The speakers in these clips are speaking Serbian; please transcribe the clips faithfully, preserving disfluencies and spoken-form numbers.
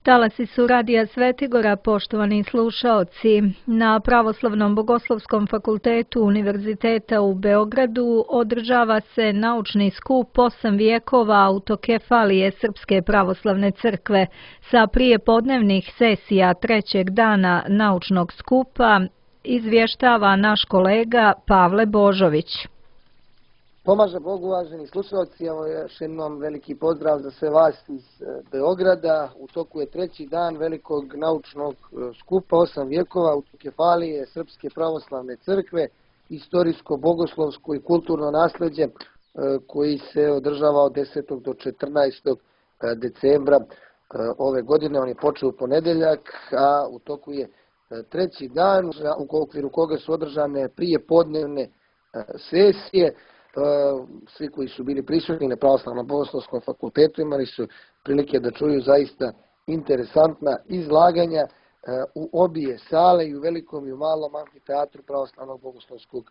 Talasi su Radija Svetigora, poštovani slušaoci. Na Pravoslavnom bogoslovskom fakultetu Univerziteta u Beogradu održava se naučni skup osam vijekova autokefalije Srpske pravoslavne crkve. Sa prijepodnevnih sesija trećeg dana naučnog skupa izvještava naš kolega Pavle Božović. Pomaže Bogu, uvaženi slušalci, evo još jednom veliki pozdrav za sve vas iz Beograda. U toku je treći dan velikog naučnog skupa osam vijekova autokefalije Srpske pravoslavne crkve, istorijsko, bogoslovsko i kulturno nasljeđe koji se održava od desetog do četrnaestog decembra ove godine. On je počeo u ponedjeljak, a u toku je treći dan u okviru koga su održane prijepodnevne sesije. Svi koji su bili prisutni na Pravoslavnom bogoslovskom fakultetu imali su prilike da čuju zaista interesantna izlaganja u obje sale, i u velikom i u malom amfiteatru Pravoslavnog bogoslovskog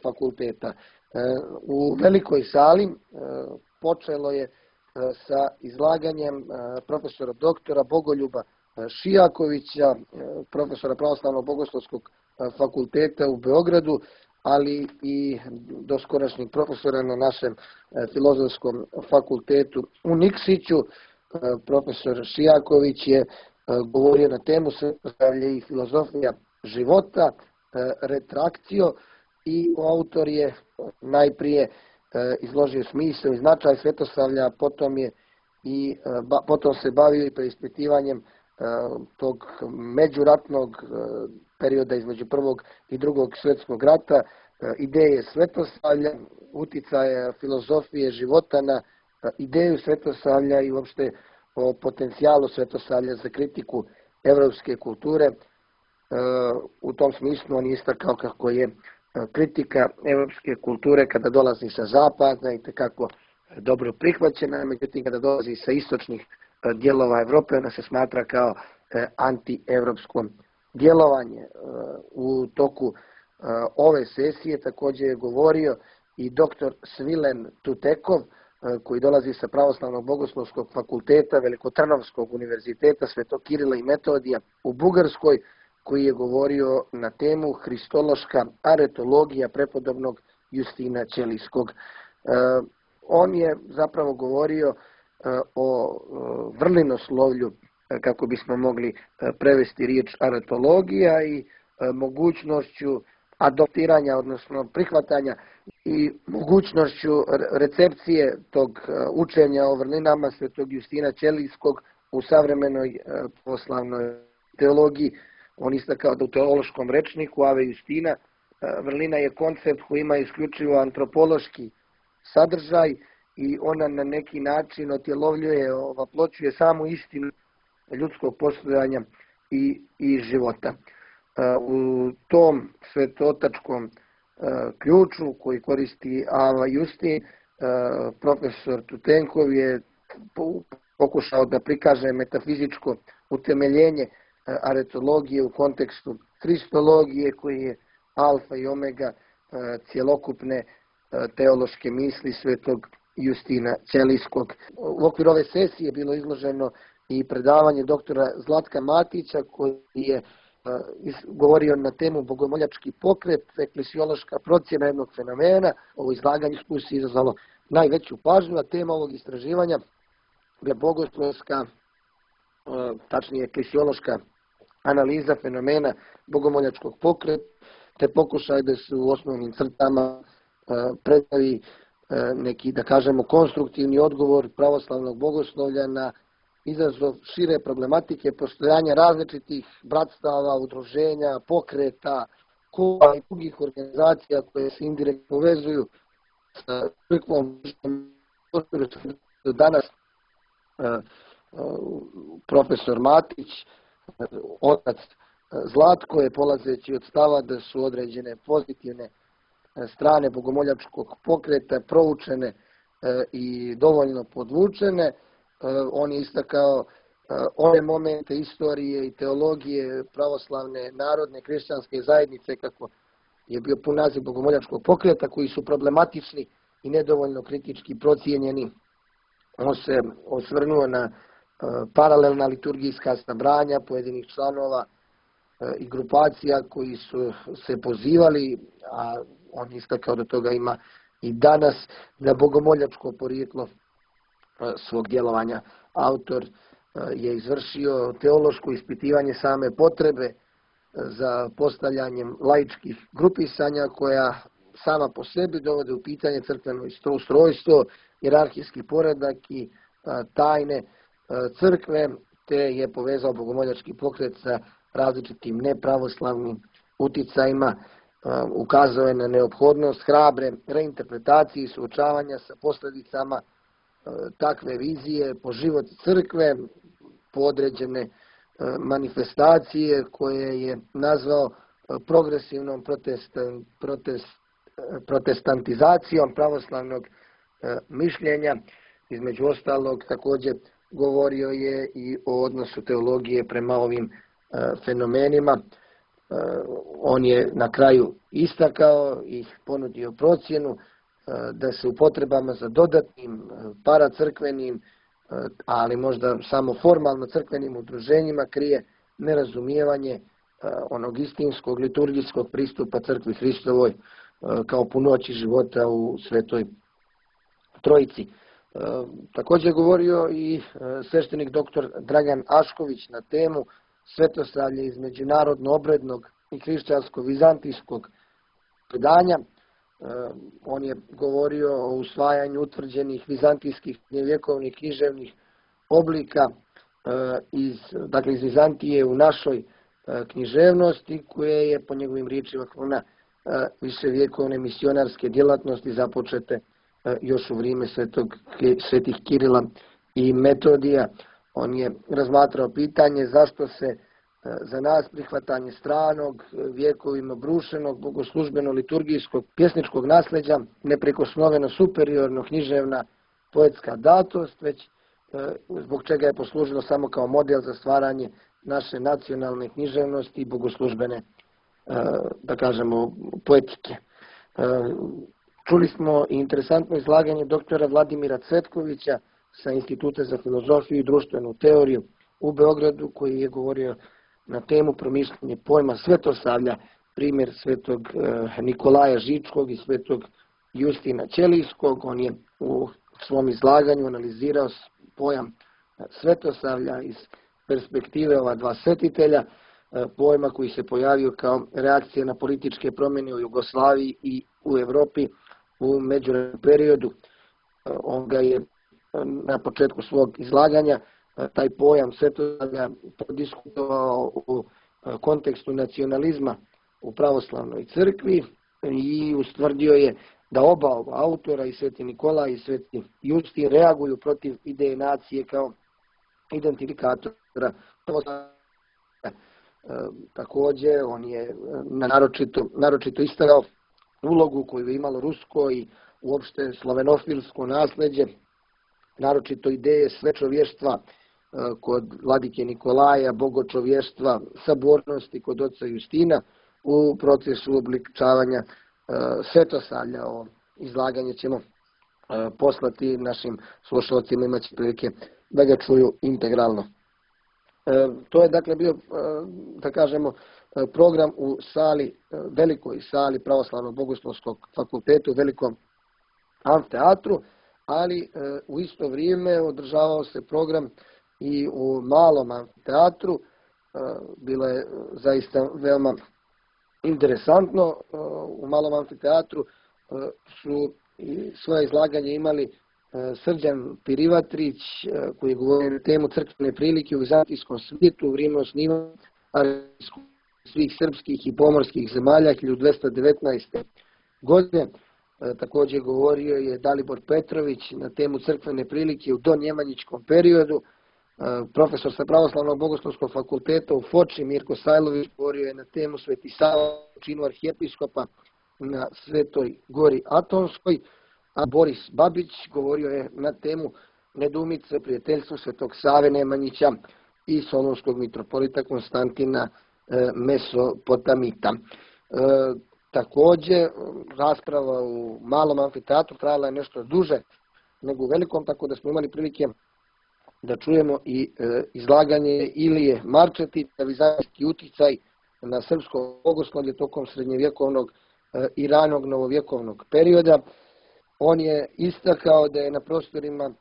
fakulteta. U velikoj sali počelo je sa izlaganjem profesora doktora Bogoljuba Šijakovića, profesora Pravoslavnog bogoslovskog fakulteta u Beogradu, ali i doskorašnjeg profesora na našem filozofskom fakultetu u Nikšiću. Profesor Šijaković je govorio na temu svetosavlje i filozofija života, retrakcio, i autor je najprije izložio smisao i značaj svetosavlja, potom je i potom se bavio i preispitivanjem tog međuratnog perioda između prvog i drugog svjetskog rata, ideje svetosavlja, uticaja filozofije života na ideju svetosavlja i uopšte o potencijalu svetosavlja za kritiku evropske kulture. U tom smislu on je istakao kako je kritika evropske kulture kada dolazi sa zapada i tekako dobro prihvaćena, međutim kada dolazi sa istočnih dijelova Evrope ona se smatra kao antievropsko djelovanje. U toku ove sesije također je govorio i doktor Svilen Tutekov, koji dolazi sa Pravoslavnog bogoslovskog fakulteta Velikotrnovskog univerziteta Svetog Kirila i Metodija u Bugarskoj, koji je govorio na temu Hristološka aretologija prepodobnog Justina Ćelijskog. On je zapravo govorio o vrlinoslovlju, kako bismo mogli prevesti riječ aretologija, i mogućnošću adoptiranja, odnosno prihvatanja i mogućnošću recepcije tog učenja o vrlinama svetog Justina Ćelijskog u savremenoj pravoslavnoj teologiji. On istakao da u teološkom rečniku Ave Justina vrlina je koncept koji ima isključivo antropološki sadržaj i ona na neki način otjelovljuje, ovaploćuje samu istinu ljudskog postojanja i, i života. U tom svetotačkom ključu koji koristi Ava Justin, profesor Tutenkov je pokušao da prikaže metafizičko utemeljenje aretologije u kontekstu hristologije, koji je alfa i omega cjelokupne teološke misli svetog Justina Ćelijskog. U okviru ove sesije je bilo izloženo i predavanje doktora Zlatka Matića, koji je govorio na temu bogomoljački pokret, eklesiološka procjena jednog fenomena. Ovo izlaganje se izazvalo najveću pažnju, a tema ovog istraživanja je bogoslovska, tačnije eklesiološka analiza fenomena bogomoljačkog pokreta, te pokušaj da se u osnovnim crtama predstavi neki, da kažemo, konstruktivni odgovor pravoslavnog bogoslovlja na izazov šire problematike postojanja različitih bratstava, udruženja, pokreta, kluba i drugih organizacija koje se indirektno povezuju sa crkvom. Danas profesor Matić, otac Zlatko, je polazeći od stava da su određene pozitivne strane bogomoljačkog pokreta proučene i dovoljno podvučene. On je istakao one momente istorije i teologije pravoslavne narodne kršćanske zajednice, kako je bio pun naziv bogomoljačkog pokreta, koji su problematični i nedovoljno kritički procijenjeni. On se osvrnuo na paralelna liturgijska sabranja pojedinih članova i grupacija koji su se pozivali, a on istakao da toga ima i danas, na bogomoljačko porijeklo svog djelovanja. Autor je izvršio teološko ispitivanje same potrebe za postavljanjem laičkih grupisanja koja sama po sebi dovode u pitanje crkveno ustrojstvo, hijerarhijski poredak i tajne crkve, te je povezao bogomoljački pokret sa različitim nepravoslavnim uticajima, ukazao je na neophodnost hrabre reinterpretacije i suočavanja sa posljedicama takve vizije po život crkve, po određene manifestacije koje je nazvao progresivnom protest, protest, protestantizacijom pravoslavnog mišljenja. Između ostalog, također govorio je i o odnosu teologije prema ovim fenomenima. On je na kraju istakao i ponudio procjenu da se u potrebama za dodatnim paracrkvenim, ali možda samo formalno crkvenim udruženjima krije nerazumijevanje onog istinskog liturgijskog pristupa crkvi Hristovoj kao punoći života u Svetoj Trojici. Također govorio i sveštenik doktor Dragan Ašković na temu svetosavlje iz međunarodno-obrednog i hrišćansko-vizantijskog predanja. On je govorio o usvajanju utvrđenih vizantijskih vjekovnih književnih oblika iz, dakle iz Vizantije u našoj književnosti, koje je po njegovim riječima kruna viševjekovne misionarske djelatnosti započete još u vrijeme svetog, svetih Kirila i Metodija. On je razmatrao pitanje zašto se za nas prihvatanje stranog, vjekovima brušenog, bogoslužbeno-liturgijskog, pjesničkog nasljeđa, neprikosnoveno superiorno književna poetska datost, već zbog čega je poslužilo samo kao model za stvaranje naše nacionalne književnosti i bogoslužbene, da kažemo, poetike. Čuli smo i interesantno izlaganje doktora Vladimira Cvetkovića sa Instituta za filozofiju i društvenu teoriju u Beogradu, koji je govorio na temu promišljanje pojma svetosavlja, primjer svetog Nikolaja Žičkog i svetog Justina Ćelijskog. On je u svom izlaganju analizirao pojam svetosavlja iz perspektive ova dva svetitelja, pojma koji se pojavio kao reakcija na političke promjene u Jugoslaviji i u Europi u međuvremenskom periodu. On ga je na početku svog izlaganja taj pojam svetosavlja prodiskutovao u kontekstu nacionalizma u pravoslavnoj crkvi i ustvrdio je da oba ova autora, i sveti Nikolaj i sveti Justin, reaguju protiv ideje nacije kao identifikatora. Također, on je naročito, naročito istakao ulogu koju je imalo rusko i uopšte slovenofilsko nasljeđe, naročito ideje svečovještva kod vladike Nikolaja, bogočovještva, sabornosti kod oca Justina u procesu obličavanja svetosavlja. Ovo izlaganje ćemo poslati našim slušalcima, imaće prilike da ga čuju integralno. To je dakle bio, da kažemo, program u sali, velikoj sali Pravoslavnog bogoslovskog fakulteta u velikom amfiteatru, ali u isto vrijeme održavao se program i u malom amfiteatru. Bilo je zaista veoma interesantno. U malom amfiteatru su svoje izlaganje imali Srđan Pirivatrić, koji je govorio na temu crkvene prilike u vizantijskom svijetu u vrijeme osnivanja svih srpskih i pomorskih zemalja hiljadu dvjesto devetnaeste. godine. Također govorio je Dalibor Petrović na temu crkvene prilike u donjemanjičkom periodu. Profesor sa Pravoslavnog bogoslovskog fakulteta u Foči Mirko Sajlović govorio je na temu Sveti Sava u činu arhijepiskopa na Svetoj Gori Atonskoj, a Boris Babić govorio je na temu nedoumice prijateljstva Svetog Save Nemanjića i solunskog mitropolita Konstantina Mesopotamita. Također, rasprava u malom amfiteatru trajala je nešto duže nego u velikom, tako da smo imali prilike da čujemo i e, izlaganje Ilije Marčetića, vizantijski uticaj na srpsko bogoslovlje tokom srednjevjekovnog e, i ranog novovjekovnog perioda. On je istakao da je na prostorima e,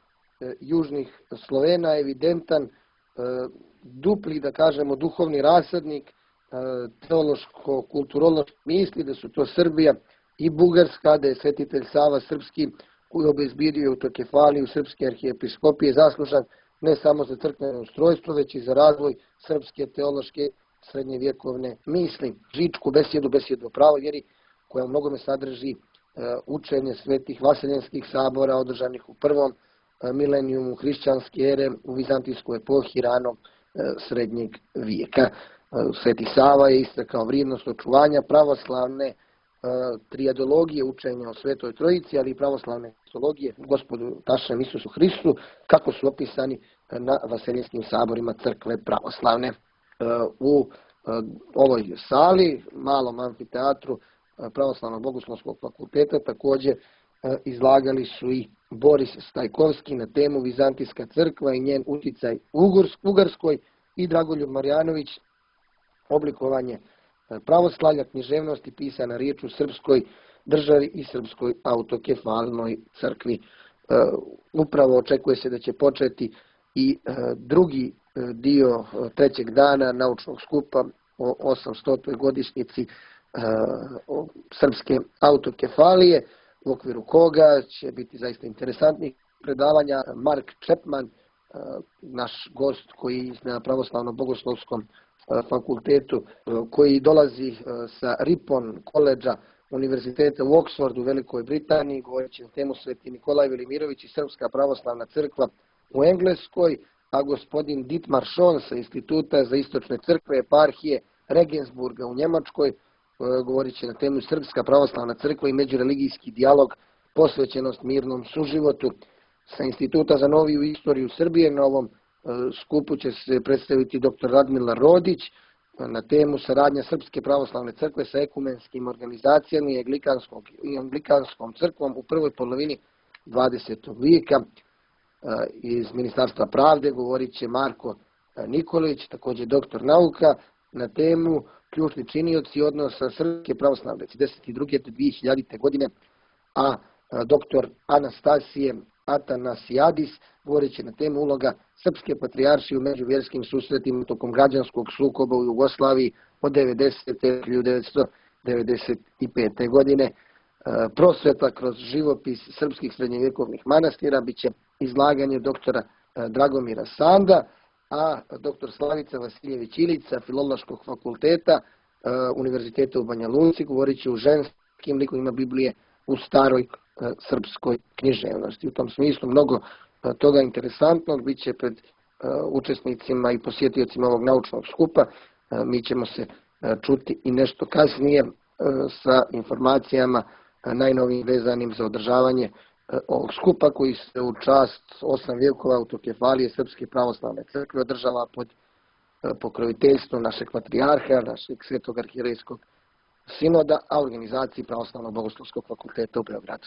južnih Slovena evidentan e, dupli, da kažemo, duhovni rasadnik e, teološko-kulturološke misli, da su to Srbija i Bugarska, da je svetitelj Sava Srpski, koji je obezbijedio autokefaliju Srpske arhijepiskopije, zaslužan ne samo za crkveno ustrojstvo, već i za razvoj srpske teološke srednjevjekovne misli. Žičku besjedu, besjedu o pravoj vjeri, koja u mnogome sadrži e, učenje svetih vaseljenskih sabora održanih u prvom e, milenijumu hrišćanske ere u vizantijskoj epohi ranog e, srednjeg vijeka. E, Sveti Sava je istakao vrijednost očuvanja pravoslavne trijadologije, učenja o Svetoj Trojici, ali i pravoslavne kristologije Gospodu našem Isusu Hristu, kako su opisani na vaseljenskim saborima crkve pravoslavne. U ovoj sali, malom amfiteatru Pravoslavnog bogoslovskog fakulteta, također izlagali su i Boris Stajkovski na temu Vizantijska crkva i njen uticaj u Ugarskoj i Dragoljub Marjanović oblikovanje pravoslavlja, književnosti pisana riječ u srpskoj državi i srpskoj autokefalnoj crkvi. Upravo očekuje se da će početi i drugi dio trećeg dana naučnog skupa o osamstotoj godišnjici srpske autokefalije, u okviru koga će biti zaista interesantnih predavanja. Mark Chapman, naš gost koji na pravoslavno-bogoslovskom fakultetu, koji dolazi sa Ripon koledža Univerziteta u Oxfordu u Velikoj Britaniji, govoreći na temu Sveti Nikolaj Velimirović i Srpska pravoslavna crkva u Engleskoj, a gospodin Dietmar Schoen sa Instituta za istočne crkve eparhije Regensburga u Njemačkoj, govorit će na temu Srpska pravoslavna crkva i međureligijski dijalog, posvećenost mirnom suživotu. Sa Instituta za noviju istoriju Srbije na ovom skupu će se predstaviti doktor Radmila Rodić na temu saradnja Srpske pravoslavne crkve sa ekumenskim organizacijama i anglikanskom crkvom u prvoj polovini dvadesetog vijeka. Iz Ministarstva pravde govorit će Marko Nikolić, također doktor nauka, na temu ključni činioci odnosa Srpske pravoslavne devedeset druge do dvije hiljadite godine, a doktor Anastasije Atanasijadis govorit će na temu uloga Srpske patrijaršije u međuvjerskim susretima tokom građanskog sukoba u Jugoslaviji od devedesete do hiljadu devetsto devedeset pete. godine. Prosveta kroz živopis srpskih srednjevjekovnih manastira bit će izlaganje doktora Dragomira Sanda, a doktor Slavica Vasiljević Ilica, Filološkog fakulteta Univerziteta u Banja Luci, govorit će o ženskim likovima Biblije u staroj srpskoj književnosti. U tom smislu mnogo toga interesantnog bit će pred učesnicima i posjetiocima ovog naučnog skupa. Mi ćemo se čuti i nešto kasnije sa informacijama najnovijim vezanim za održavanje ovog skupa koji se u čast osam vjekova autokefalije Srpske pravoslavne crkve održava pod pokroviteljstvom našeg patrijarha, našeg svetog arhijerejskog sinoda, a organizaciji Pravoslavnog bogoslovskog fakulteta u Beogradu.